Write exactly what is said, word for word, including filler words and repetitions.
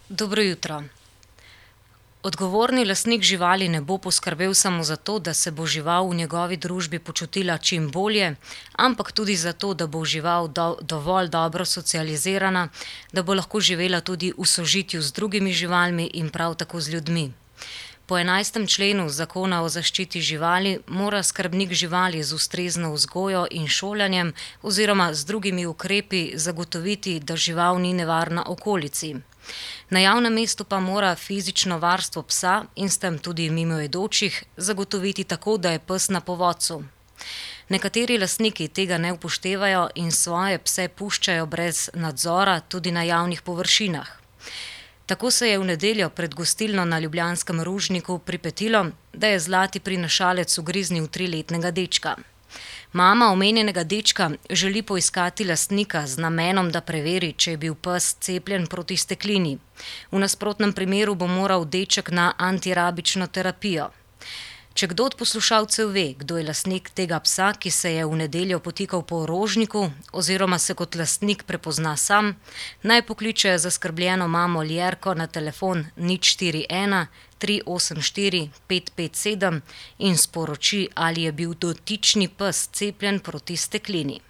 Dobro jutro. Odgovorni lastnik živali ne bo poskrbel samo za to, da se bo žival v njegovi družbi počutila čim bolje, ampak tudi za to, da bo žival do, dovolj dobro socializirana, da bo lahko živela tudi v sožitju z drugimi živalmi in prav tako z ljudmi. Po enajstem členu Zakona o zaščiti živali mora skrbnik živali z ustrezno vzgojo in šolanjem oziroma z drugimi ukrepi zagotoviti, da žival ni nevarna okolici. Na javnem mestu pa mora fizično varstvo psa in s tem tudi mimoidočih zagotoviti tako, da je pes na povodcu. Nekateri lastniki tega ne upoštevajo in svoje pse puščajo brez nadzora tudi na javnih površinah. Tako se je v nedeljo pred gostilno na ljubljanskem Rožniku pripetilo, da je zlati prinašalec ugriznil triletnega dečka. Mama omenjenega dečka želi poiskati lastnika z namenom, da preveri, če je bil pes cepljen proti steklini. V nasprotnem primeru bo moral deček na antirabično terapijo. Če kdo od poslušalcev ve, kdo je lastnik tega psa, ki se je v nedeljo potikal po Rožniku oziroma se kot lastnik prepozna sam, naj pokliče zaskrbljeno mamo Ljerko na telefon nič štiri ena tri osem štiri pet pet sedem in sporoči, ali je bil dotični pes cepljen proti steklini.